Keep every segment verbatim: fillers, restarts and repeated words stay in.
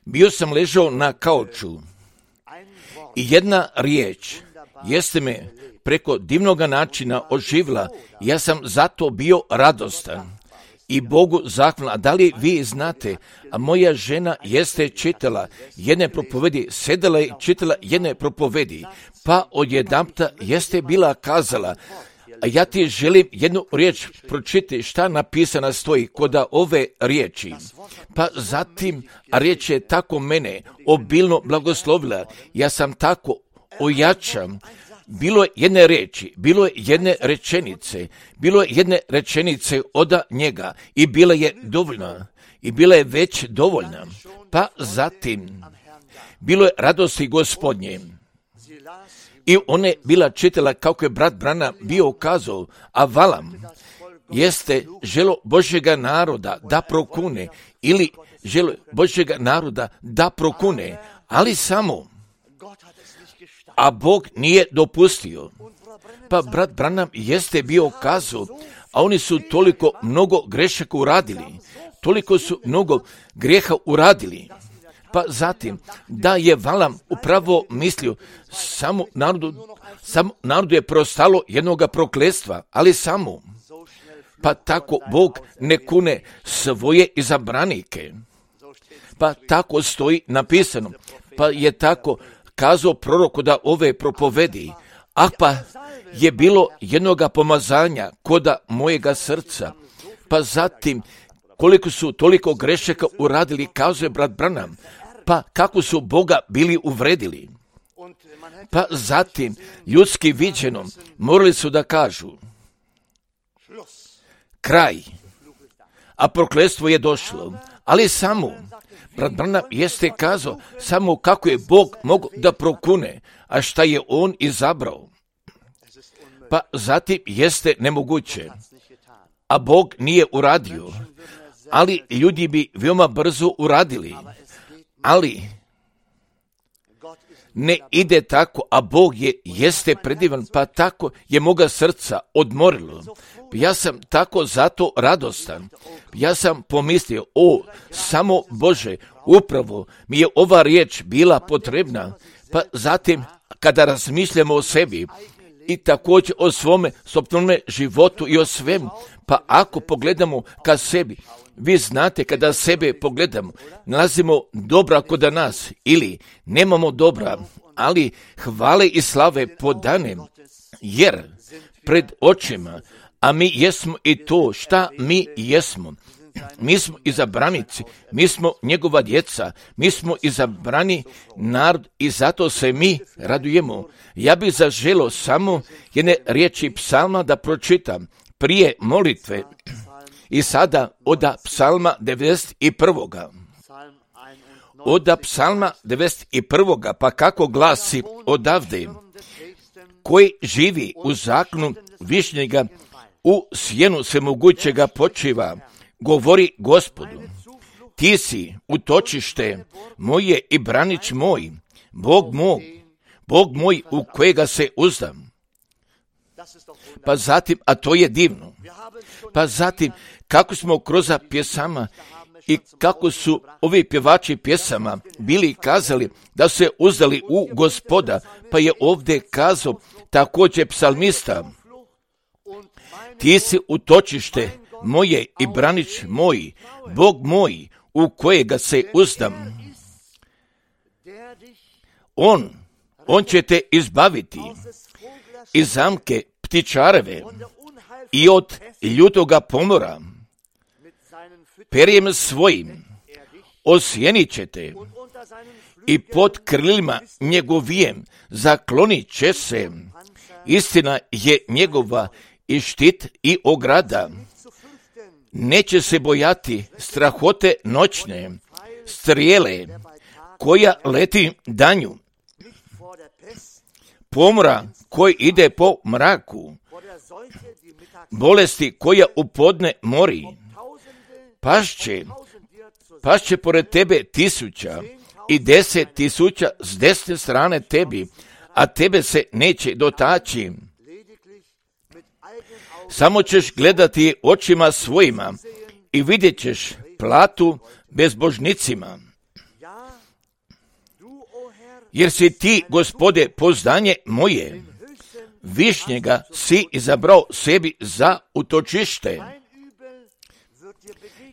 Bio sam ležao na kauču i jedna riječ jeste me preko divnoga načina oživila. Ja sam zato bio radostan i Bogu zahvalan. A da li vi znate, a moja žena jeste čitala jedne propovedi, sedela i čitala jedne propovedi, pa odjedanputa jeste bila kazala, a ja ti želim jednu riječ pročiti šta napisana stoji kod ove riječi. Pa zatim, a riječ je tako mene obilno blagoslovila, ja sam tako ojačan. Bilo je jedne riječi, bilo je jedne rečenice, bilo je jedne rečenice od njega i bila je dovoljna i bila je već dovoljna. Pa zatim, bilo je radosti Gospodnje. I ona je bila čitala kako je brat Branham bio ukazao, a Valam jeste želo Božjega naroda da prokune ili želo Božjega naroda da prokune, ali samo, a Bog nije dopustio. Pa brat Branham jeste bio ukazao, a oni su toliko mnogo grešaka uradili, toliko su mnogo grijeha uradili. Pa zatim, da je Valam upravo mislio, samo narodu, samo narodu je preostalo jednoga prokletstva, ali samo. Pa tako Bog ne kune svoje izabranike. Pa tako stoji napisano. Pa je tako kazao proroku da ove propovedi. Ah pa je bilo jednoga pomazanja koda mojega srca. Pa zatim, koliko su toliko grešaka uradili, kazuje brat Branham, pa kako su Boga bili uvredili. Pa zatim, ljudski viđeno, morali su da kažu kraj, a prokletstvo je došlo. Ali samo, brat Branham jeste kazao samo kako je Bog mogao da prokune, a šta je on izabrao. Pa zatim jeste nemoguće, a Bog nije uradio, ali ljudi bi veoma brzo uradili. Ali ne ide tako, a Bog je jeste predivan, pa tako je moga srca odmorilo. Ja sam tako zato radostan. Ja sam pomislio, o, samo Bože, upravo mi je ova riječ bila potrebna. Pa zatim, kada razmišljamo o sebi i također o svome sopstvenome životu i o svemu, pa ako pogledamo ka sebi, vi znate kada sebe pogledamo, nalazimo dobra kod nas ili nemamo dobra, ali hvale i slave podane, jer pred očima, a mi jesmo i to šta mi jesmo. Mi smo izabranici, mi smo njegova djeca, mi smo izabrani narod i zato se mi radujemo. Ja bih zaželio samo jedne riječi psalma da pročitam prije molitve i sada od psalma devedeset prvog. Od psalma devedeset prvog. Pa kako glasi odavde, koji živi u zakonu višnjega, u sjenu svemogućega počiva, govori Gospodu, ti si utočište moje i branič moj, Bog moj, Bog moj u kojega se uzdam. Pa zatim, a to je divno, pa zatim kako smo kroz pjesama i kako su ovi pjevači pjesama bili kazali da se uzdali u Gospoda, pa je ovdje kazao također psalmista, ti si utočište moje i branič moj, Bog moj u kojega se uzdam. On, on će te izbaviti iz zamke ptičareve i od ljutoga pomora. Perjem svojim osjenit će te i pod krilima njegovijem zaklonit će se. Istina je njegova i štit i ograda. Neće se bojati strahote noćne, strijele koja leti danju, pomora koji ide po mraku, bolesti koja u podne mori. Pašće, pašće pored tebe tisuća i deset tisuća s desne strane tebi, a tebe se neće dotaći. Samo ćeš gledati očima svojima i vidjet ćeš platu bezbožnicima. Jer si ti, Gospode, poznanje moje, višnjega si izabrao sebi za utočište.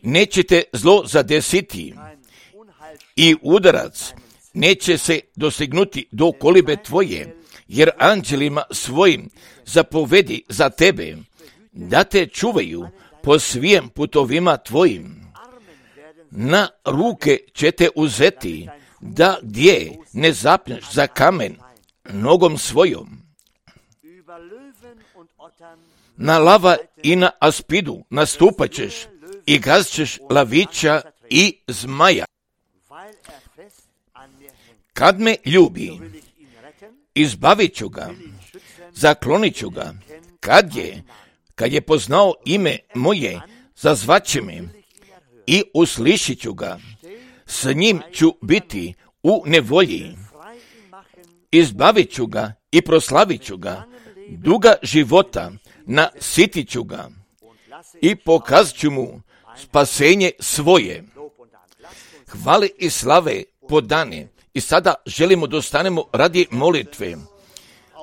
Nećete zlo zadesiti i udarac neće se dosegnuti do kolibe tvoje, jer anđelima svojim zapovedi za tebe, da te čuvaju po svim putovima tvojim. Na ruke će te uzeti, da gdje ne zapneš za kamen nogom svojom. Na lava i na aspidu nastupat ćeš i gazit ćeš lavića i zmaja. Kad me ljubi, izbavit ću ga, zaklonit ću ga. Kad je, kad je poznao ime moje, zazvaće me i uslišit ću ga. S njim ću biti u nevolji. Izbavit ću ga i proslavit ću ga. Duga života nasitit ću ga i pokazat ću mu spasenje svoje. Hvale i slave podane. I sada želimo da ostanemo radi molitve.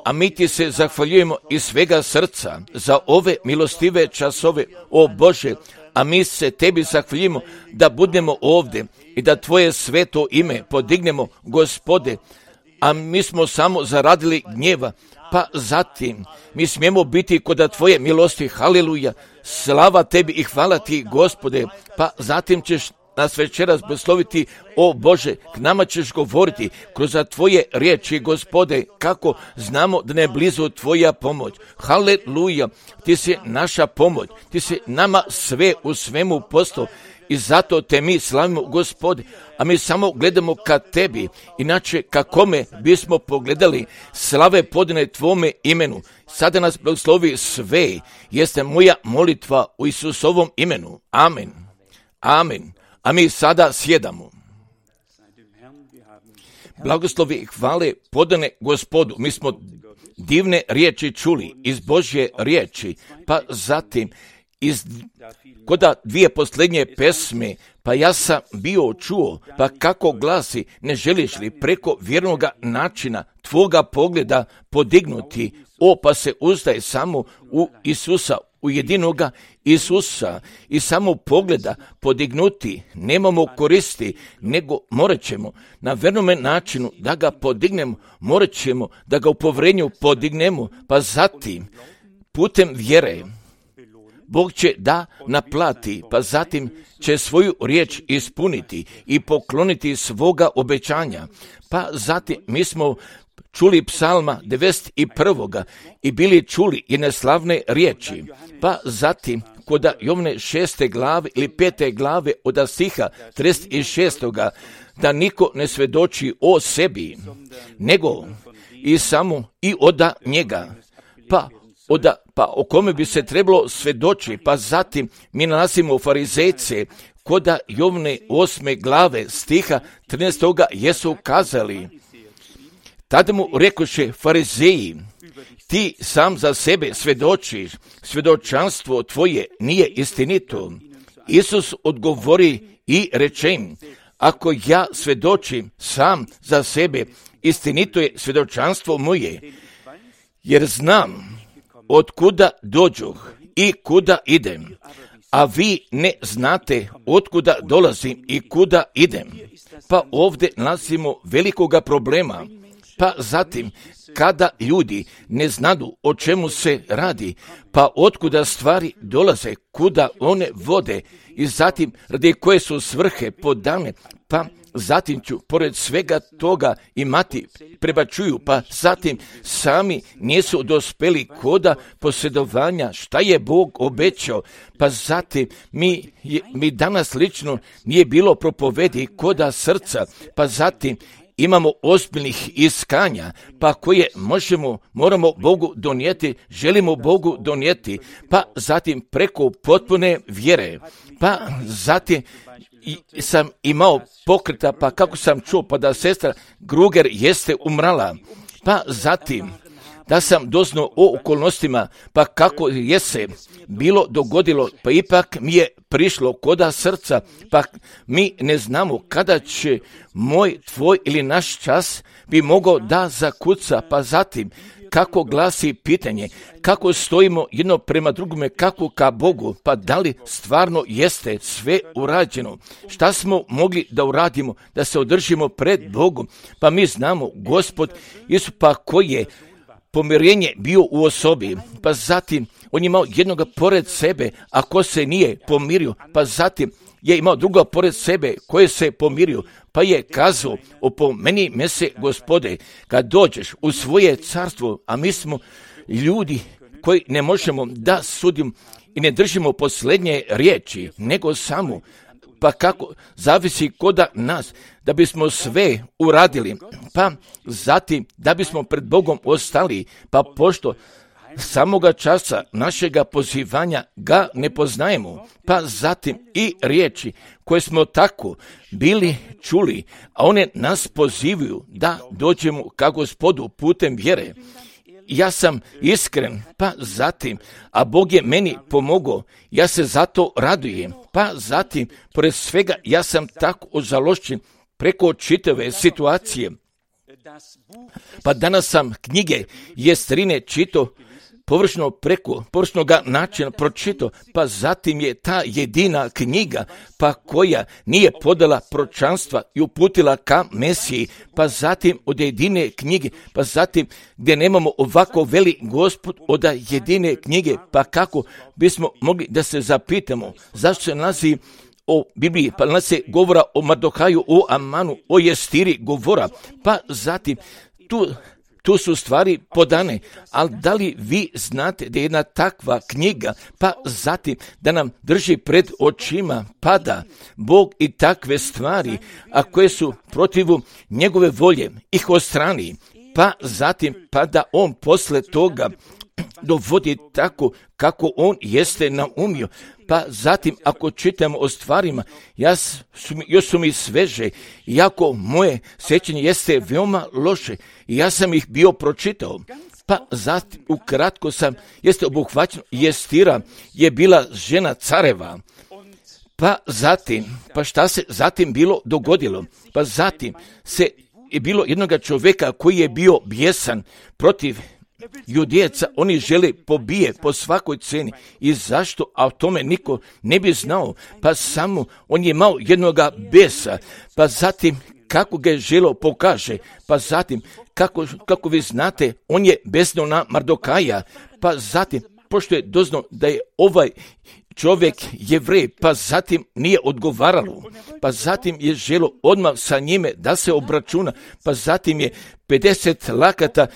A mi ti se zahvaljujemo iz svega srca za ove milostive časove, o Bože, a mi se tebi zahvaljujemo da budemo ovdje i da tvoje sveto ime podignemo, Gospode, a mi smo samo zaradili gnjeva, pa zatim mi smijemo biti kod tvoje milosti, haleluja, slava tebi i hvala ti, Gospode, pa zatim ćeš nas večeras blagosloviti, o Bože, k nama ćeš govoriti kroz tvoje riječi, Gospode, kako znamo da ne je blizu tvoja pomoć. Haleluja, ti si naša pomoć, ti si nama sve u svemu poslao i zato te mi slavimo, Gospode, a mi samo gledamo ka tebi, inače kakome bismo pogledali, slave podane tvome imenu. Sada nas blagoslovi sve, jeste moja molitva u Isusovom imenu. Amen. Amen. A mi sada sjedamo. Blagoslovi i hvale podane Gospodu. Mi smo divne riječi čuli iz Božje riječi, pa zatim iz koda dvije posljednje pesme, pa ja sam bio čuo, pa kako glasi, ne želiš li preko vjernoga načina tvoga pogleda podignuti, o pa se uzdaj samo u Isusa, u jedinoga Isusa i samo pogleda podignuti, nemamo koristi, nego morat ćemo na vernome načinu da ga podignemo, morat ćemo da ga u povrenju podignemo, pa zatim putem vjere Bog će da naplati, pa zatim će svoju riječ ispuniti i pokloniti svoga obećanja. Pa zatim mi smo čuli psalma devedeset prvoga i bili čuli jedne slavne riječi. Pa zatim kod Jovne šeste glave ili pete glave od stiha trideset šestoga da niko ne svedoči o sebi, nego i samo i oda njega. Pa Oda, pa o kome bi se trebalo svedoči, pa zatim mi nalazimo farizejce koda Jovne osme glave stiha trinaestoga jesu kazali. Tada mu rekoše farizeji, ti sam za sebe svedočiš, svedočanstvo tvoje nije istinito. Isus odgovori i reče im, ako ja svedočim sam za sebe, istinito je svedočanstvo moje, jer znam od kuda dođoh i kuda idem, a vi ne znate od kuda dolazim i kuda idem. Pa ovdje nalazimo velikoga problema. Pa zatim, kada ljudi ne znadu o čemu se radi, pa otkuda stvari dolaze, kuda one vode i zatim radi koje su svrhe podane, pa zatim ću pored svega toga imati prebačuju, pa zatim sami nisu dospeli koda posjedovanja šta je Bog obećao, pa zatim mi, mi danas lično nije bilo propovedi koda srca, pa zatim imamo ozbiljnih iskanja, pa koje možemo, moramo Bogu donijeti, želimo Bogu donijeti, pa zatim preko potpune vjere, pa zatim i sam imao pokreta, pa kako sam čuo, pa da sestra Gruger jeste umrala, pa zatim, da sam doznao o okolnostima, pa kako je se bilo dogodilo, pa ipak mi je prišlo koda srca, pa mi ne znamo kada će moj, tvoj ili naš čas bi mogao da zakuca, pa zatim kako glasi pitanje, kako stojimo jedno prema drugome, kako ka Bogu, pa da li stvarno jeste sve urađeno, šta smo mogli da uradimo, da se održimo pred Bogom, pa mi znamo Gospod Isus, pa koji je pomirenje bio u osobi, pa zatim on je imao jednoga pored sebe, a ko se nije pomirio, pa zatim je imao druga pored sebe koje se pomirio, pa je kazao, opomeni me se Gospode, kad dođeš u svoje carstvo, a mi smo ljudi koji ne možemo da sudimo i ne držimo posljednje riječi, nego samo, pa kako zavisi koda nas, da bismo sve uradili, pa zatim da bismo pred Bogom ostali, pa pošto samoga časa našega pozivanja ga ne poznajemo, pa zatim i riječi koje smo tako bili čuli, a one nas pozivaju da dođemo ka Gospodu putem vjere. Ja sam iskren, pa zatim, a Bog je meni pomogao, ja se zato radujem, pa zatim, pored svega, ja sam tako ožalošćen preko čitave situacije. Pa danas sam knjige Jestrine čito površno preko površnoga načina pročito, pa zatim je ta jedina knjiga, pa koja nije podala proročanstva i uputila ka Mesiji, pa zatim od jedine knjige, pa zatim gdje nemamo ovako veli Gospod od jedine knjige, pa kako bismo mogli da se zapitamo zašto se nalazi o Bibliji, pa nas se govora o Mardohaju, o Amanu, o Jestiri govora, pa zatim tu Tu su stvari podane, ali da li vi znate da je jedna takva knjiga, pa zatim da nam drži pred očima, pada Bog i takve stvari, a koje su protivu njegove volje, ih odstrani, pa zatim pa da on posle toga dovodi tako kako on jeste naumio. Pa zatim ako čitamo o stvarima, ja su, još su mi sveže, iako moje sjećanje jeste veoma loše, i ja sam ih bio pročitao. Pa zatim ukratko sam, jeste obuhvaćeno, Jestira je bila žena careva. Pa zatim, pa šta se zatim bilo dogodilo? Pa zatim se je bilo jednoga čovjeka koji je bio bijesan protiv Judejaca, oni žele pobije po svakoj ceni. I zašto? A o tome niko ne bi znao. Pa samo on je imao jednoga besa. Pa zatim kako ga je želeo pokaže. Pa zatim kako, kako vi znate, on je besno na Mardokaja. Pa zatim pošto je doznao da je ovaj čovjek Jevrej, pa zatim nije odgovaralo, pa zatim je želo odmah sa njime da se obračuna, pa zatim je pedeset lakata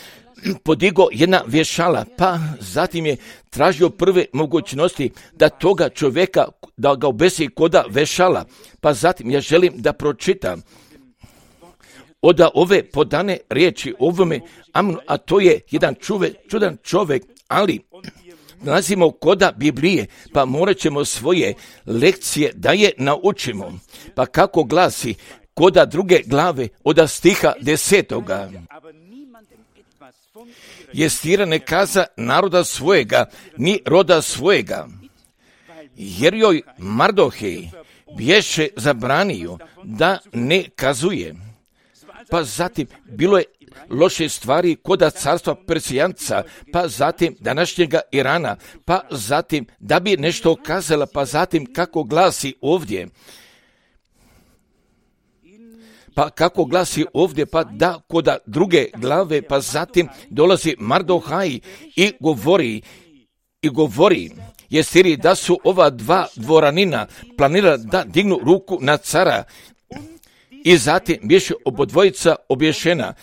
podigo jedna vješala, pa zatim je tražio prve mogućnosti da toga čovjeka, da ga obesi koda vešala, pa zatim ja želim da pročitam od ove podane riječi ovome Amnu, a to je jedan čuve, čudan čovjek, ali nalazimo koda Biblije, pa morat ćemo svoje lekcije da je naučimo. Pa kako glasi koda druge glave od stiha desetoga. Jestira ne kaza naroda svojega, ni roda svojega, jer joj Mardohej bješe zabranio da ne kazuje. Pa zatim bilo je loše stvari koda carstva Persijanca, pa zatim današnjega Irana, pa zatim da bi nešto kazala, pa zatim kako glasi ovdje. Pa kako glasi ovdje, pa da koda druge glave, pa zatim dolazi Mardohaj i govori, i govori Jestiri da su ova dva dvoranina planirala da dignu ruku na cara i zatim bješe obodvojica obješena.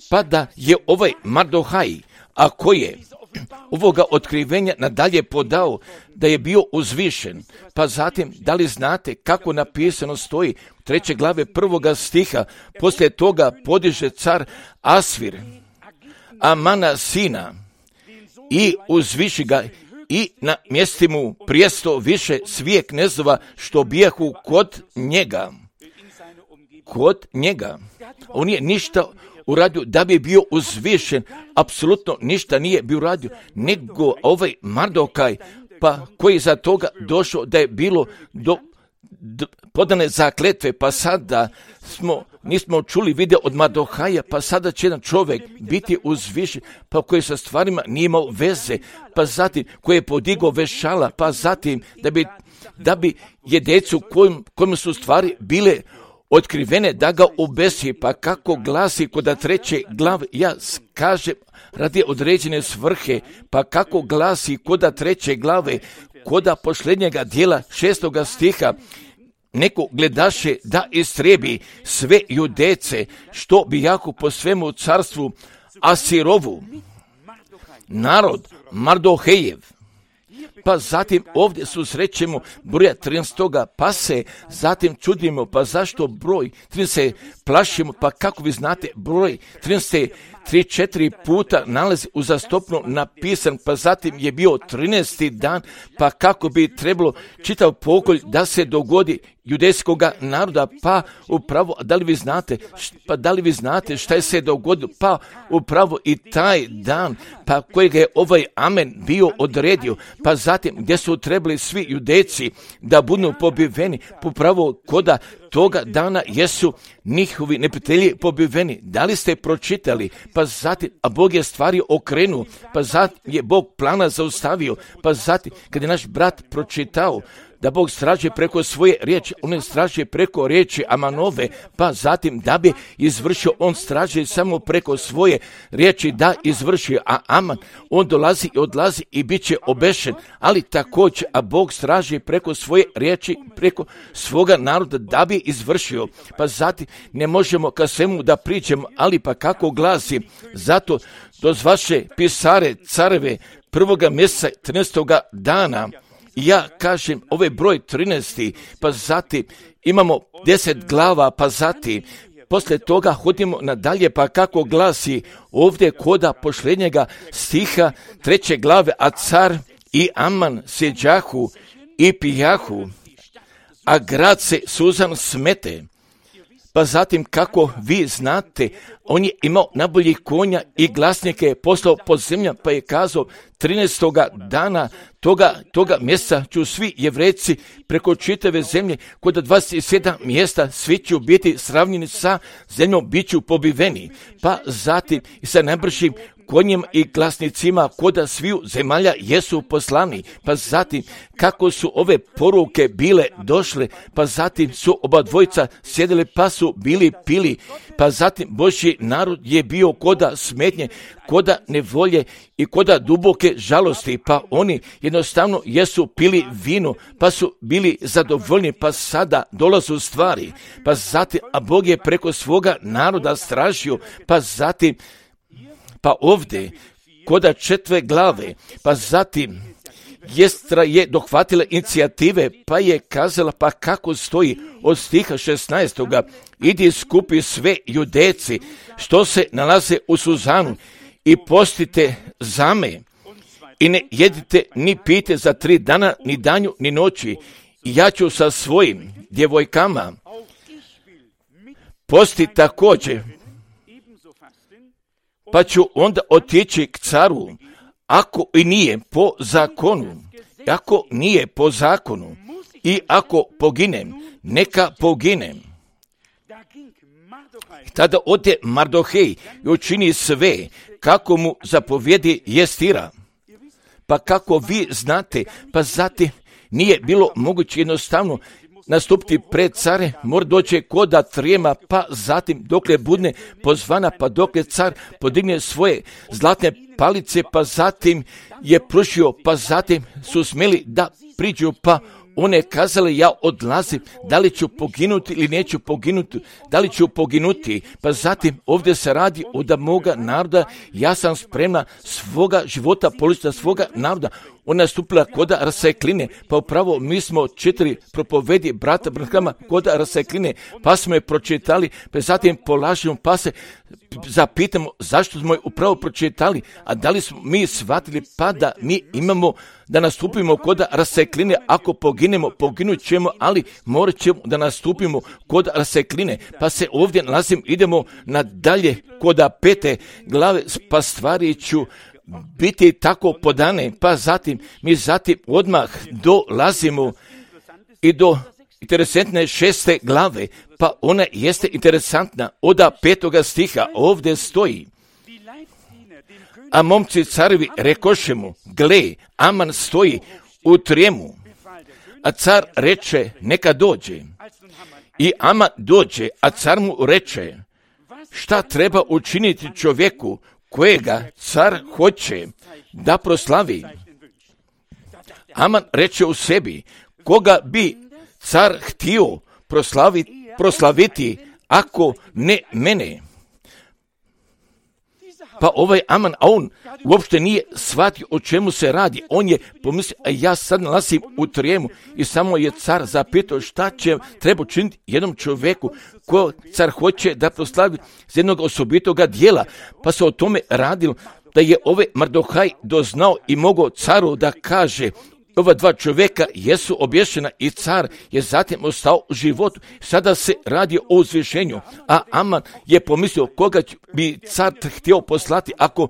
Pa da je ovaj Mardohaj, a koji je ovoga otkrivenja nadalje podao da je bio uzvišen. Pa zatim, da li znate kako napisano stoji u treće glave prvoga stiha, poslije toga podiže car Asvir, Amana sina, i uzviši ga i na mjesti mu prijesto više svije knezova što bijahu kod njega. kod njega. On nije ništa uradio da bi bio uzvišen, apsolutno ništa nije bio uradio, nego ovaj Mardokaj, pa koji je za toga došao da je bilo do, do podane zakletve, pa sada smo, nismo čuli video od Mardohaja, pa sada će jedan čovjek biti uzvišen, pa koji sa stvarima nije imao veze, pa zatim koji je podigao vešala, pa zatim da bi, da bi je djecu kojim, kojim su stvari bile otkrivene da ga obesi, pa kako glasi kod treće glave, ja kažem radi određene svrhe, pa kako glasi kod treće glave, kod posljednjega dijela šestoga stiha, neko gledaše da istrebi sve Judece, što bi jako po svemu carstvu Asirovu, narod Mardohejev. Pa zatim ovdje susrećemo broja trinaest, pa se zatim čudimo, pa zašto broj trinaest se plašimo, pa kako vi znate broj trinaest se tri četiri puta nalazi uzastopno napisan, pa zatim je bio trinaesti dan, pa kako bi trebalo čitav pokolj da se dogodi judejskoga naroda, pa upravo, da li vi znate, pa da li vi znate šta je se dogodilo, pa upravo i taj dan, pa kojega je ovaj Amen bio odredio, pa zatim gdje su trebali svi judejci da budu pobiveni, upravo koda toga dana jesu njihovi neprijatelji pobiveni. Da li ste pročitali? Pa zatim, a Bog je stvari okrenuo, pa zatim je Bog plana zaustavio, pa zatim, kad je naš brat pročitao da Bog straže preko svoje riječi, on je straže preko riječi Amanove, pa zatim da bi izvršio, on straže samo preko svoje riječi da izvrši, a Aman, on dolazi i odlazi i bit će obešen, ali također, a Bog straže preko svoje riječi, preko svoga naroda da bi izvršio, pa zatim ne možemo ka svemu da priđemo, ali pa kako glasi, zato dozvaše pisare careve prvoga mjeseca trinaestoga dana. Ja kažem, ovaj broj trinaesti, pa zatim imamo deset glava, pa zatim poslije toga hodimo nadalje, pa kako glasi ovdje koda posljednjega stiha treće glave, a car i Aman sjeđahu i pijahu, a grad se suzan smete. Pa zatim, kako vi znate, on je imao najboljih konja i glasnike je poslao pod zemljom, pa je kazao trinaestoga dana toga, toga mjeseca ću svi Jevrejci preko čitave zemlje, kod dvadeset sedam mjesta svi ću biti sravnjeni sa zemljom, bit ću pobiveni. Pa zatim i sa najbržim konjima i glasnicima koda sviju zemalja jesu poslani, pa zatim kako su ove poruke bile došle, pa zatim su oba dvojica sjedili pa su bili pili, pa zatim Božji narod je bio koda smetnje, koda nevolje i koda duboke žalosti, pa oni jednostavno jesu pili vino, pa su bili zadovoljni, pa sada dolazu stvari, pa zatim, a Bog je preko svoga naroda stražio, pa zatim pa ovdje, koda četve glave, pa zatim Jestra je dohvatila inicijative, pa je kazala, pa kako stoji od stiha šesnaestoga, idi skupi sve Judejci što se nalaze u Suzanu i postite za me i ne jedite ni pijte za tri dana, ni danju, ni noći. I ja ću sa svojim djevojkama posti također, pa ću onda otići k caru, ako i nije po zakonu, ako nije po zakonu, i ako poginem, neka poginem. Tada ode Mardohej i učini sve kako mu zapovjedi Jestira. Pa kako vi znate, pa zatim nije bilo moguće jednostavno nastupiti pred care, mora doći koda trijema, pa zatim dokle budne pozvana, pa dokle car podigne svoje zlatne palice, pa zatim je prušio, pa zatim su smjeli da priđu, pa one kazale, ja odlazim, da li ću poginuti ili neću poginuti, da li ću poginuti, pa zatim ovdje se radi od moga naroda, ja sam spremna svoga života položiti za svoga naroda, ona je stupila koda rasekline, pa upravo mi smo četiri propovedi brata Branhama koda rasekline, pa smo je pročitali, pa zatim polažemo, pa se zapitamo zašto smo je upravo pročitali, a da li smo mi shvatili pa da mi imamo da nastupimo koda rasekline, ako poginemo, poginut ćemo, ali morat ćemo da nastupimo kod rasekline, pa se ovdje nalazim, idemo nadalje koda pete glave, pa stvari ću biti tako podane, pa zatim mi zatim odmah dolazimo i do interesantne šeste glave, pa ona jeste interesantna, od petoga stiha ovdje stoji. A momci carevi rekoše mu, gle, Aman stoji u trijemu, a car reče, neka dođe. I Aman dođe, a car mu reče, šta treba učiniti čovjeku kojega car hoće da proslavi? Aman reče u sebi, koga bi car htio proslaviti, proslaviti ako ne mene? Pa ovaj Aman, a on uopšte nije shvatio o čemu se radi. On je pomislio, a ja sad nalazim u trijemu, i samo je car zapitao šta će treba učiniti jednom čovjeku ko car hoće da proslavi z jednog osobitoga dijela. Pa se o tome radilo da je ovaj Mardohaj doznao i mogao caru da kaže, ova dva čovjeka jesu obješena, i car je zatim ostao u životu. Sada se radi o uzvišenju, a Aman je pomislio koga bi car htio poslati ako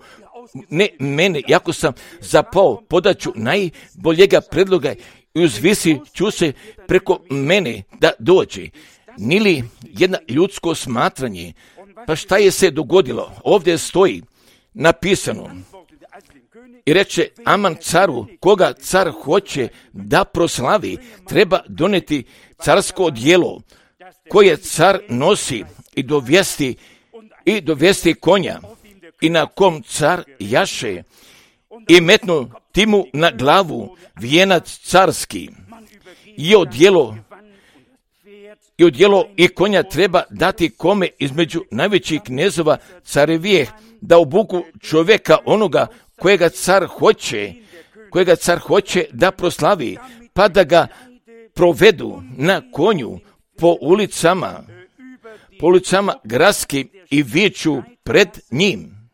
ne mene, jako sam zapao, podaću najboljega predloga i uzvisi ću se preko mene da dođe. Nili jedno ljudsko smatranje. Pa šta je se dogodilo? Ovdje stoji napisano. I reče Aman caru, koga car hoće da proslavi, treba doneti carsko odijelo koje car nosi i dovesti, i dovesti konja, i na kom car jaše, i metnu timu na glavu vijenac carski. I odijelo, i odijelo i konja treba dati kome između najvećih knezova carevije, da obuku čovjeka onoga kojega car hoće, kojega car hoće da proslavi, pa da ga provedu na konju po ulicama, po ulicama gradskim i viču pred njim.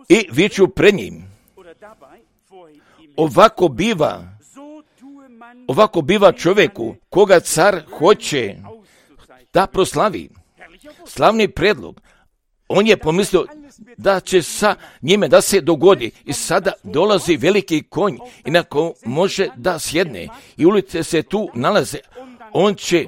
I viču pred njim. Ovako biva, ovako biva čovjeku koga car hoće da proslavi. Slavni predlog. On je pomislio da će sa njime da se dogodi, i sada dolazi veliki konj i na ko može da sjedne, i ulice se tu nalaze. On će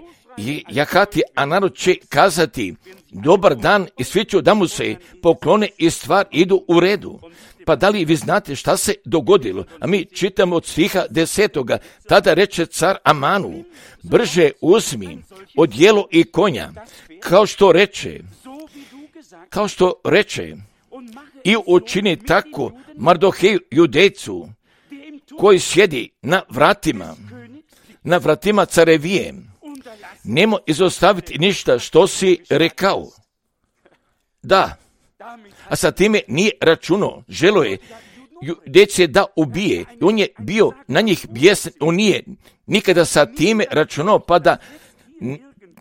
jahati, a narod će kazati dobar dan, i svi će da mu se poklone i stvar idu u redu. Pa da li vi znate šta se dogodilo? A mi čitamo od stiha desetoga. Tada reče car Amanu, brže uzmi odijelo i konja, kao što reče, kao što reče, i učini tako Mardoheju Judejcu, koji sjedi na vratima, na vratima carevije. Nemo izostaviti ništa što si rekao. Da, a sa time nije računao, želo je Judejce da ubije, i on je bio na njih bijesan, on nije nikada sa time računao, pa da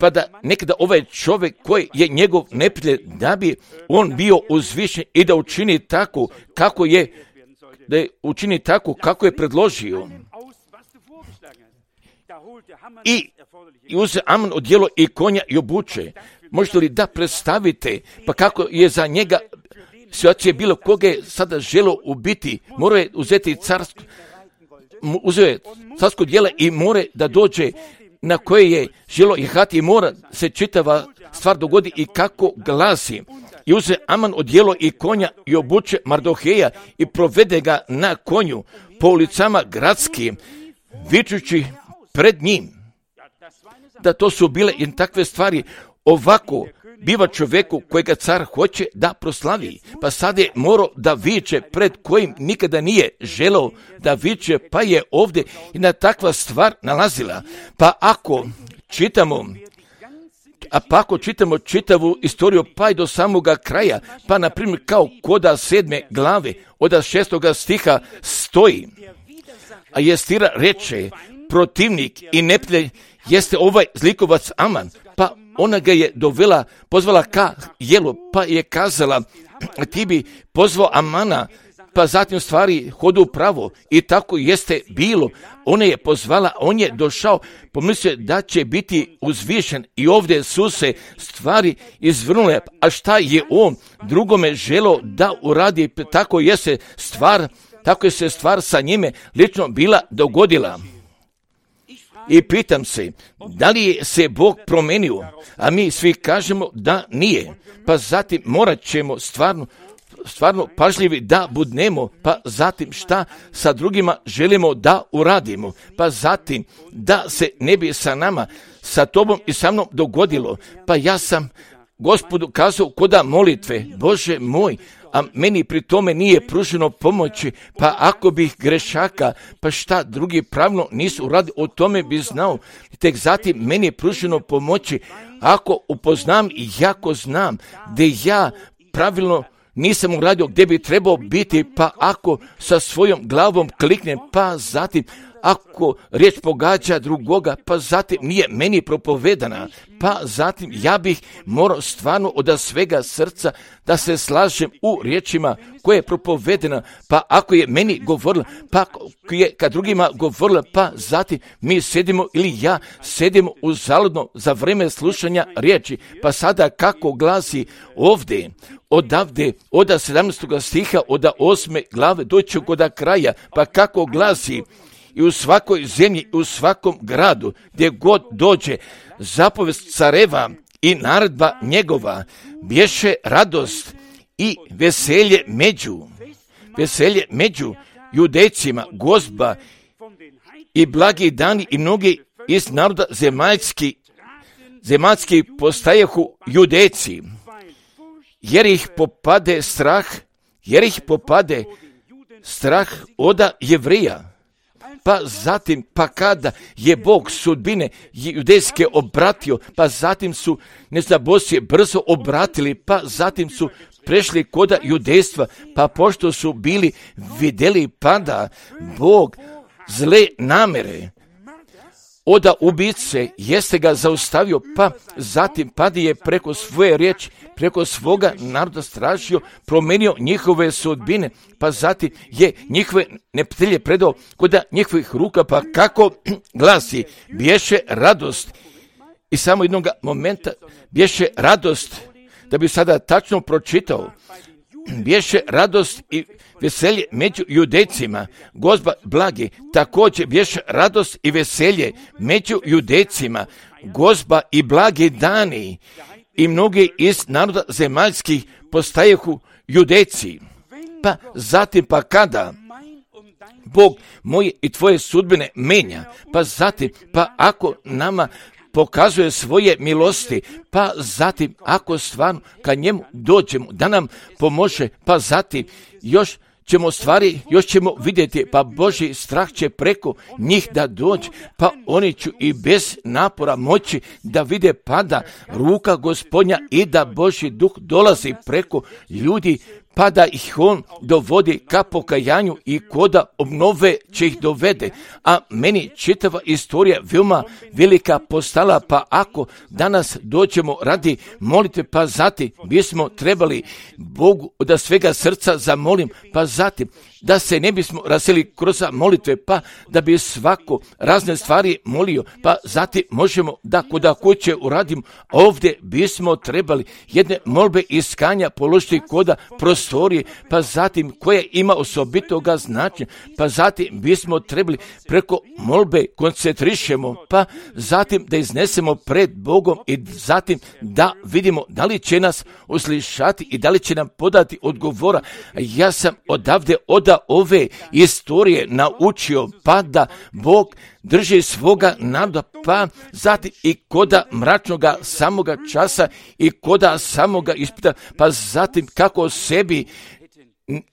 pa da nekada ovaj čovjek koji je njegov neprijatelj, da bi on bio uzvišen i da učini tako kako je, da je učini tako kako je predložio. I, i uze Aman odijelo i konja i obuče. Možete li da predstavite, pa kako je za njega situacija bilo, koga je sada želo ubiti, morao je uzeti carsko, uzeo je carsko dijelo i more da dođe na koje je želo jehati, i mora se čitava stvar dogodi i kako glasi. I uze Aman odijelo i konja i obuče Mardoheja i provede ga na konju po ulicama gradskim, vičući pred njim. Da to su bile i takve stvari. Ovako biva čovjeku kojega car hoće da proslavi. Pa sad je morao da viče pred kojim nikada nije želeo da viče, pa je ovdje jedna takva stvar nalazila. Pa ako čitamo A pa ako čitamo čitavu istoriju pa i do samoga kraja, pa na primjer kao koda sedme glave, od šestoga stiha stoji, a Estira reče, protivnik i neprijatelj jeste ovaj zlikovac Aman, pa ona ga je dovela, pozvala ka jelu, pa je kazala, ti bi pozvao Amana, pa zatim stvari hodu pravo i tako jeste bilo. Ona je pozvala, on je došao, pomislio da će biti uzvišen i ovdje su se stvari izvrnule, a šta je on drugome želeo da uradi, tako je se stvar, tako je se stvar sa njime lično bila dogodila. I pitam se, da li je se Bog promenio, a mi svi kažemo da nije, pa zatim morat ćemo stvarno stvarno pažljivi da budnemo, pa zatim šta sa drugima želimo da uradimo, pa zatim da se ne bi sa nama, sa tobom i sa mnom dogodilo, pa ja sam Gospodu kazao koda molitve, Bože moj, a meni pri tome nije pruženo pomoći, pa ako bih grešaka, pa šta drugi pravilno nisu uradili, o tome bi znao, tek zatim meni je pruženo pomoći, ako upoznam i jako znam, gdje ja pravilno nisam uradio gdje bi trebao biti, pa ako sa svojom glavom kliknem, pa zatim ako riječ pogađa drugoga, pa zatim nije meni propovedana, pa zatim ja bih morao stvarno od svega srca da se slažem u riječima koje je propovedena, pa ako je meni govorila, pa je kad drugima govorila, pa zatim mi sedimo ili ja sedimo uzaludno za vrijeme slušanja riječi, pa sada kako glasi ovdje, odavde, od sedamnaestog stiha, od osme glave, doći kod kraja, pa kako glasi, i u svakoj zemlji, u svakom gradu, gdje god dođe zapovest careva i naredba njegova, bješe radost i veselje među, veselje među judejcima, gozba i blagi dani i mnogi iz naroda zemaljski, zemaljski postajehu judejci, jer ih popade strah, jer ih popade strah oda Jevrija. Pa zatim, pa kada je Bog sudbine judejske obratio, pa zatim su neznabosje brzo obratili, pa zatim su prešli koda judejstva, pa pošto su bili vidjeli pada Bog zle namere oda ubice, jeste ga zaustavio, pa zatim padi je preko svoje riječi, preko svoga naroda stražio, promenio njihove sudbine, pa zatim je njihove neprijatelje predao kod njihovih ruka, pa kako glasi, bješe radost. I samo jednog momenta bješe radost, da bi sada tačno pročitao, bješe radost i veselje među judejcima, gozba blagi, također bješe radost i veselje među judejcima, gozba i blagi dani, i mnogi iz naroda zemaljskih postajehu judejci. Pa zatim pa kada Bog moje i tvoje sudbine menja, pa zatim pa ako nama pokazuje svoje milosti, pa zatim ako stvarno kad njemu dođemo da nam pomože, pa zatim još ćemo stvari, još ćemo vidjeti, pa Božji strah će preko njih da dođe, pa oni će i bez napora moći da vide pada ruka Gospodnja i da Božji duh dolazi preko ljudi, pa da ih on dovodi ka pokajanju i koda obnove će ih dovede. A meni čitava istorija veoma velika postala, pa ako danas dođemo radi molite, pa zatim bismo trebali Bogu da svega srca zamolim, pa zatim da se ne bismo raseli kroz molitve, pa da bi svako razne stvari molio, pa zatim možemo da koda kuće uradimo, ovdje bismo trebali jedne molbe iskanja položiti koda prostorije, pa zatim koja ima osobitoga značenja, pa zatim bismo trebali preko molbe koncentrišemo, pa zatim da iznesemo pred Bogom i zatim da vidimo da li će nas uslišati i da li će nam podati odgovora. Ja sam odavde od ove istorije naučio, pa da Bog drži svoga naroda, pa zatim i koda mračnoga samoga časa i koda samoga ispita, pa zatim kako sebi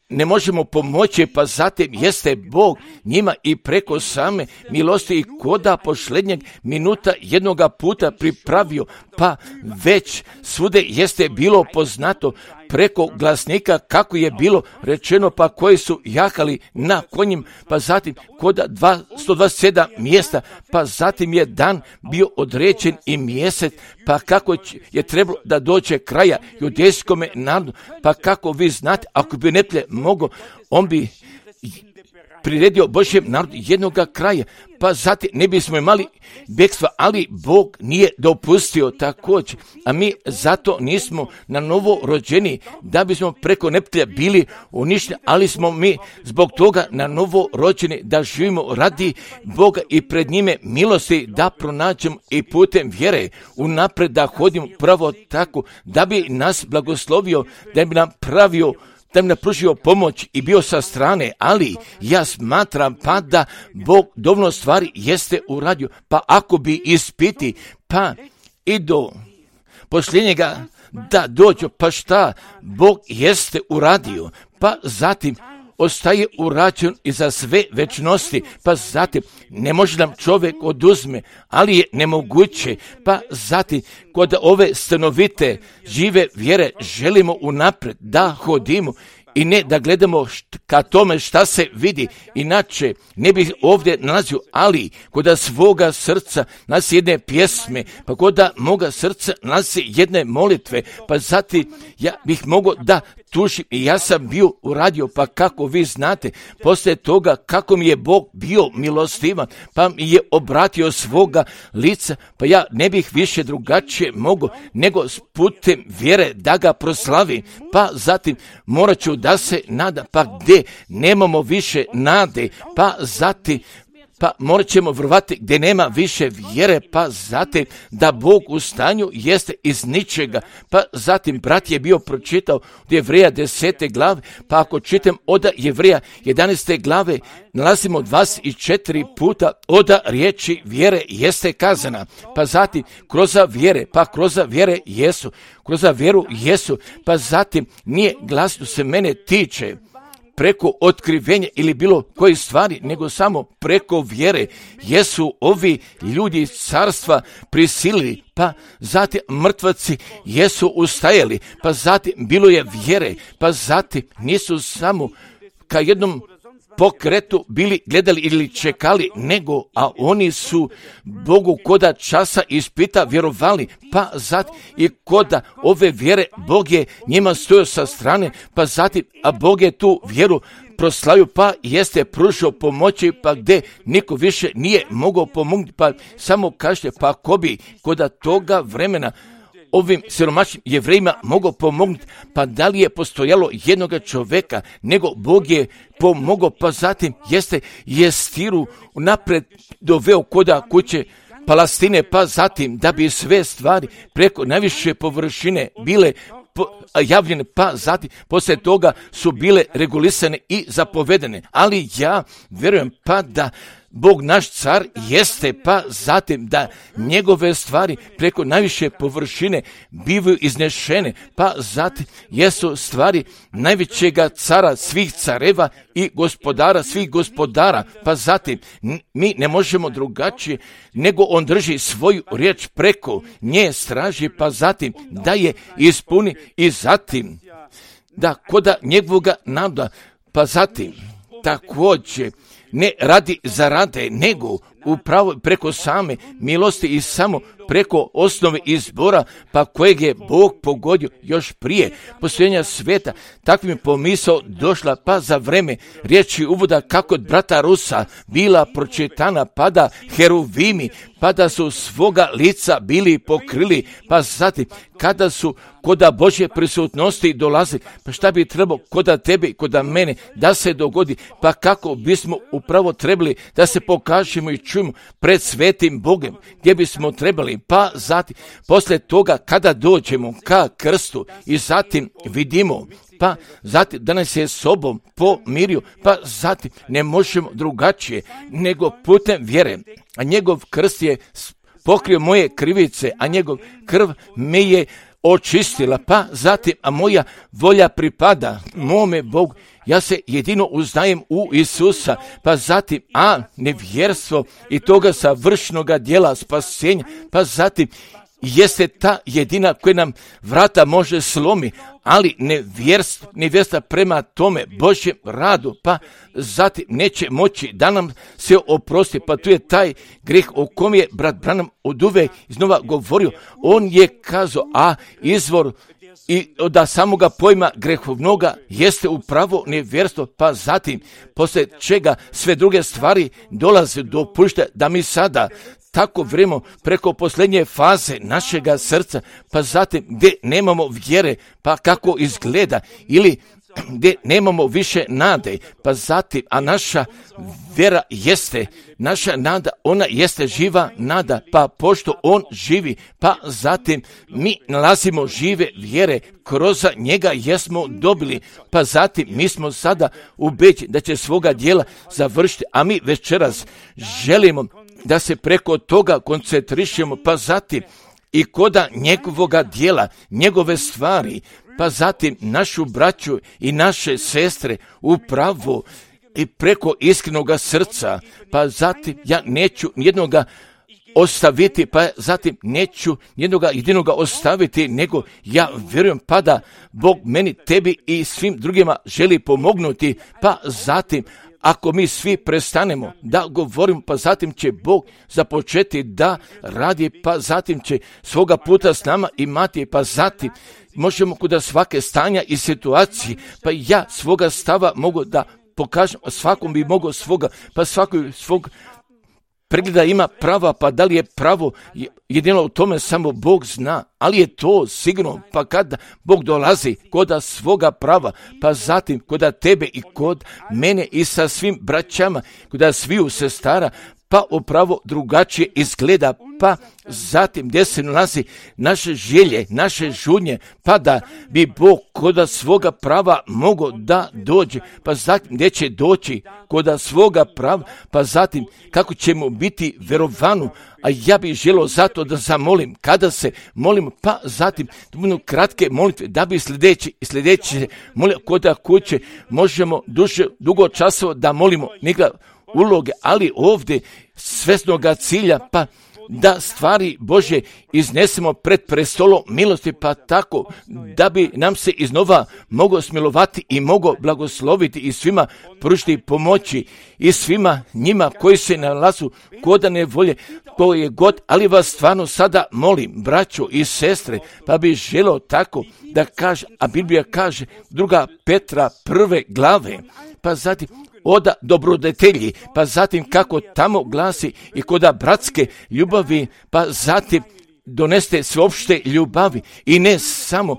ne možemo pomoći, pa zatim jeste Bog njima i preko same milosti i koda posljednjeg minuta jednoga puta pripravio, pa već svude jeste bilo poznato preko glasnika kako je bilo rečeno, pa koji su jahali na konjim, pa zatim koda sto dvadeset sedam mjesta, pa zatim je dan bio određen i mjesec, pa kako je trebalo da dođe kraja judejskome narodu, pa kako vi znate, ako bi neprijatelj mogao, on bi priredio Božjem narodu jednoga kraja, pa zatim ne bismo imali bekstva, ali Bog nije dopustio također, a mi zato nismo na novo rođeni da bismo preko neprijatelja bili uništeni, ali smo mi zbog toga na novo rođeni da živimo radi Boga i pred njime milosti da pronađemo i putem vjere unapred da hodimo pravo tako, da bi nas blagoslovio, da bi nam pravio, da mi napružio pomoć i bio sa strane, ali ja smatram pa da Bog dovoljno stvari jeste uradio, pa ako bi ispiti, pa i do posljednjega da dođu, pa šta Bog jeste uradio, pa zatim ostaje urađen i za sve večnosti, pa zatim ne može nam čovjek oduzme, ali je nemoguće, pa zatim kod ove stanovite žive vjere želimo unapred da hodimo i ne da gledamo št, ka tome šta se vidi, inače ne bi ovdje nalazio, ali kod svoga srca nas jedne pjesme, pa kod moga srca nas jedne molitve, pa zatim ja bih mogao da tužim i ja sam bio uradio, pa kako vi znate, poslije toga kako mi je Bog bio milostivan, pa mi je obratio svoga lica, pa ja ne bih više drugačije mogao nego s putem vjere da ga proslavim, pa zatim morat ću da se nada, pa gdje nemamo više nade, pa zatim pa morat ćemo vjerovati gdje nema više vjere, pa zatim da Bog u stanju jeste iz ničega, pa zatim brat je bio pročitao od Jevreja desete glave, pa ako čitam od Jevreja jedanaeste glave, nalazimo dvadeset četiri puta od riječi vjere jeste kazana, pa zatim kroz vjere, pa kroz vjere jesu, kroz vjeru jesu, pa zatim nije glasno se mene tiče preko otkrivenja ili bilo koje stvari, nego samo preko vjere jesu ovi ljudi iz carstva prisilili, pa zatim mrtvaci jesu ustajali, pa zatim bilo je vjere, pa zatim nisu samo ka jednom pokretu bili gledali ili čekali, nego, a oni su Bogu koda časa ispita vjerovali, pa zatim i koda ove vjere Bog je njima stojao sa strane, pa zatim, a Bog je tu vjeru proslavio, pa jeste pružio pomoći, pa gdje niko više nije mogao pomoći, pa samo kažete, pa ko bi koda toga vremena ovim siromašnim Jevrejima mogao pomognuti, pa da li je postojalo jednoga čovjeka, nego Bog je pomogao, pa zatim jeste Jestiru napred doveo koda kuće Palestine, pa zatim da bi sve stvari preko najviše površine bile javljene, pa zatim poslije toga su bile regulisane i zapovedene. Ali ja vjerujem pa da Bog naš car jeste, pa zatim da njegove stvari preko najviše površine bivaju iznešene, pa zatim jesu stvari najvećega cara svih careva i gospodara svih gospodara, pa zatim mi ne možemo drugačije nego on drži svoju riječ preko nje straži, pa zatim da je ispuni i zatim da koda njegovoga naroda, pa zatim također ne radi zarade, nego upravo preko same milosti i samo preko osnove izbora, pa kojeg je Bog pogodio još prije postojanja svijeta. Takvim je pomisao došla, pa za vreme riječi uvoda kako od brata Rusa bila pročitana, pa da heruvimi, pa da su svoga lica bili pokrili, pa zatim kada su koda Božje prisutnosti dolazi, pa šta bi trebalo koda tebe i koda mene da se dogodi, pa kako bismo upravo trebali da se pokažemo i čujemo pred svetim Bogem, gdje bismo trebali, pa zatim poslije toga kada dođemo ka krstu i zatim vidimo, pa zatim da nas je sobom pomirio, pa zatim ne možemo drugačije nego putem vjere, a njegov krst je pokrio moje krivice, a njegov krv me je očistila, pa zatim, a moja volja pripada mome Bogu ja se jedino uznajem u Isusa, pa zatim, a nevjerstvo i toga savršenoga djela spasenja, pa zatim, jeste ta jedina koja nam vrata može slomi, ali nevjerstvo, nevjerstva prema tome Božjem radu, pa zatim neće moći da nam se oprosti, pa tu je taj greh o kom je brat Branham oduvek iznova govorio. On je kazao, a izvor i da samoga pojma grehovnoga jeste upravo nevjerstvo, pa zatim poslije čega sve druge stvari dolaze do pušta da mi sada tako vremo preko posljednje faze našega srca, pa zatim gdje nemamo vjere, pa kako izgleda, ili gdje nemamo više nade, pa zatim, a naša vjera jeste, naša nada, ona jeste živa nada, pa pošto on živi, pa zatim mi nalazimo žive vjere, kroz njega jesmo dobili, pa zatim mi smo sada ubeđeni da će svoga djela završiti, a mi večeras želimo da se preko toga koncentrišemo, pa zatim i koda njegovoga djela, njegove stvari, pa zatim našu braću i naše sestre upravo i preko iskrenoga srca, pa zatim ja neću jednoga ostaviti, pa zatim neću jednoga jedinoga ostaviti, nego ja vjerujem pa da Bog meni, tebi i svim drugima želi pomognuti, pa zatim ako mi svi prestanemo da govorimo, pa zatim će Bog započeti da radi, pa zatim će svoga puta s nama imati, pa zatim možemo kuda svake stanja i situacije, pa ja svoga stava mogu da pokažem, svakom bi mogao svoga, pa svakoj svog pregleda ima prava, pa da li je pravo, jedino u tome samo Bog zna, ali je to sigurno, pa kada Bog dolazi koda svoga prava, pa zatim koda tebe i kod mene i sa svim braćama, koda sviju sestara, pa upravo drugačije izgleda, pa zatim gdje se nalazi naše želje, naše žudnje, pa da bi Bog koda svoga prava mogao da dođe, pa zatim gdje će doći koda svoga prava, pa zatim kako ćemo biti verovanu, a ja bih želio zato da zamolim, kada se molimo, pa zatim da budu kratke molitve, da bi sljedeći i sljedeći molio koda kuće možemo duže, dugo časova da molimo, nikada uloge, ali ovdje svesnoga cilja, pa da stvari Božje iznesemo pred prestolom milosti, pa tako da bi nam se iznova mogao smilovati i mogao blagosloviti i svima pružiti pomoći i svima njima koji se nalazu koda nevolje, koje god, ali vas stvarno sada molim, braćo i sestre, pa bi želio tako da kaže, a Biblija kaže, druga Petra prve glave, pa zatim oda dobrodetelji, pa zatim kako tamo glasi i koda bratske ljubavi, pa zatim doneste sveopšte ljubavi i ne samo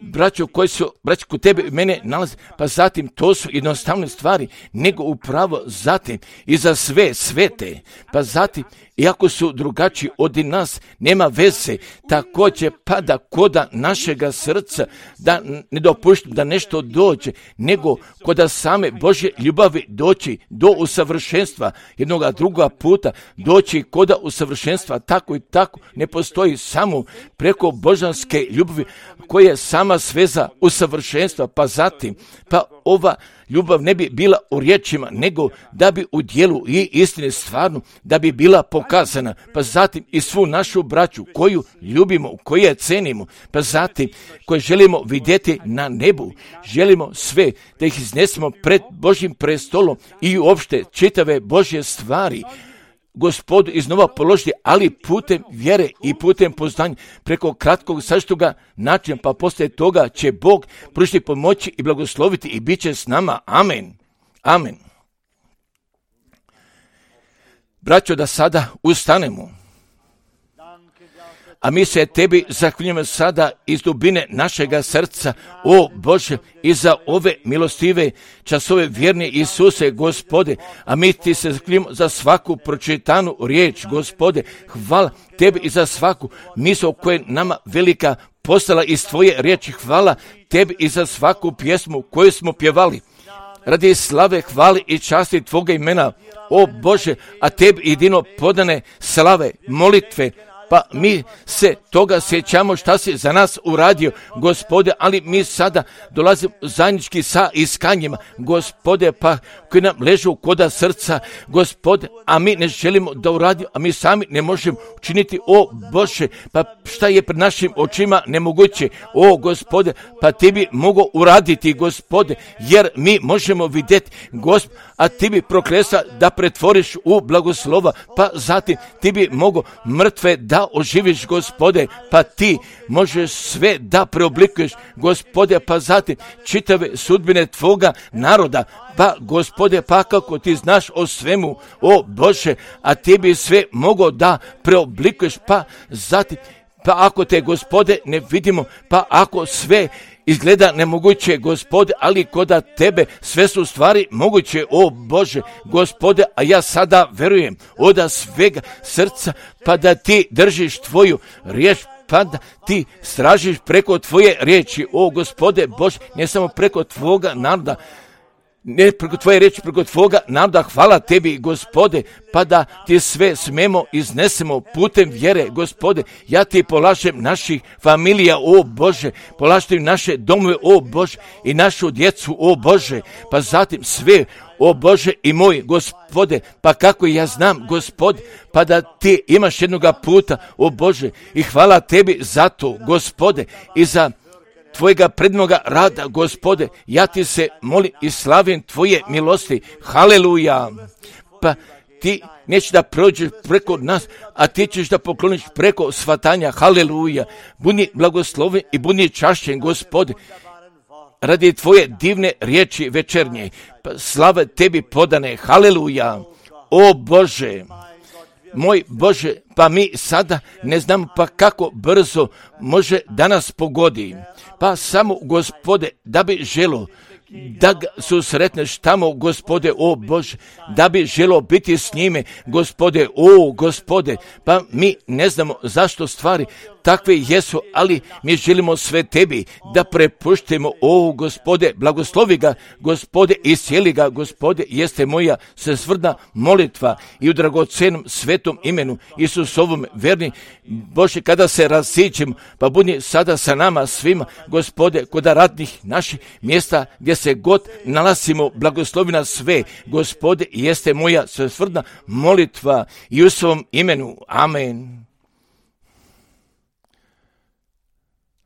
braćo koji su, braćo kod tebe i mene nalaze, pa zatim to su jednostavne stvari, nego upravo zatim i za sve svete, pa zatim iako su drugačiji od nas, nema veze, također pada koda našega srca, da ne dopuštam da nešto dođe, nego koda same Božje ljubavi doći do usavršenstva, jednoga druga puta doći koda usavršenstva, tako i tako, ne postoji samo preko božanske ljubavi koja je sama sveza usavršenstva, pa zatim, pa ova ljubav ne bi bila u riječima, nego da bi u dijelu i istine stvarno, da bi bila pokazana, pa zatim i svu našu braću koju ljubimo, koju je cenimo, pa zatim koje želimo vidjeti na nebu, želimo sve da ih iznesemo pred Božjim prestolom i uopšte čitave Božje stvari Gospodu iznova položiti, ali putem vjere i putem poznanja, preko kratkog sažetoga načina, pa poslije toga će Bog pružiti pomoći i blagosloviti i bit će s nama. Amen. Amen. Braćo, da sada ustanemo. A mi se tebi zahvaljujemo sada iz dubine našega srca, o Bože, i za ove milostive časove vjerne Isuse, Gospode, a mi ti se zahvaljujemo za svaku pročitanu riječ, Gospode, hvala tebi i za svaku misao koja je nama velika postala iz tvoje riječi, hvala tebi i za svaku pjesmu koju smo pjevali. Radi slave, hvali i časti tvoga imena, o Bože, a tebi jedino podane slave, molitve, pa mi se toga sjećamo šta si za nas uradio, Gospode, ali mi sada dolazimo zajednički sa iskanjima, Gospode, pa koji nam ležu koda srca, Gospode, a mi ne želimo da uradimo, a mi sami ne možemo učiniti, o Bože, pa šta je pred našim očima nemoguće, o Gospode, pa ti bi mogao uraditi, Gospode, jer mi možemo vidjeti, Gospode, a ti bi proklesa da pretvoriš u blagoslova, pa zatim ti bi mogao mrtve da oživiš, Gospode, pa ti možeš sve da preoblikuješ, Gospode, pa zatim čitave sudbine tvoga naroda, pa Gospode, pa kako ti znaš o svemu, o Bože, a ti bi sve mogao da preoblikuješ, pa zatim, pa ako te, Gospode, ne vidimo, pa ako sve izgleda nemoguće, Gospode, ali koda tebe sve su stvari moguće, o Bože, Gospode, a ja sada verujem od svega srca, pa da ti držiš tvoju riječ, pa da ti stražiš preko tvoje riječi, o Gospode Bože, ne samo preko tvoga naroda, ne preko tvoje riječi, preko tvoga naroda, hvala tebi, Gospode, pa da ti sve smemo iznesemo putem vjere, Gospode, ja ti polažem naših familija, o Bože, polažem naše domove, o Bože, i našu djecu, o Bože, pa zatim sve, o Bože i moj, Gospode, pa kako ja znam, Gospode, pa da ti imaš jednoga puta, o Bože, i hvala tebi za to, Gospode, i za tvojega prednoga rada, Gospode, ja ti se molim i slavim tvoje milosti, haleluja, pa ti nećeš da prođeš preko nas, a ti ćeš da pokloniš preko svatanja, haleluja, budi blagosloven i budi čašćen, Gospode, radi tvoje divne riječi večernje, pa slava tebi podane, haleluja, o Bože, moj Bože, pa mi sada ne znamo pa kako brzo može danas pogodi, pa samo, Gospode, da bi želo da ga susretneš tamo, Gospode, o Bože, da bi želo biti s njime, Gospode, o Gospode, pa mi ne znamo zašto stvari takve jesu, ali mi želimo sve tebi da prepuštimo, o Gospode, blagoslovi ga, Gospode, iscijeli ga, Gospode, jeste moja svesrdna molitva i u dragocenom svetom imenu Isusovom verni, Bože, kada se rasićemo, pa budi sada sa nama svima, Gospode, kod radnih naših mjesta gdje se god nalazimo, blagoslovi nas sve, Gospode, jeste moja svesrdna molitva i u svom imenu, amen.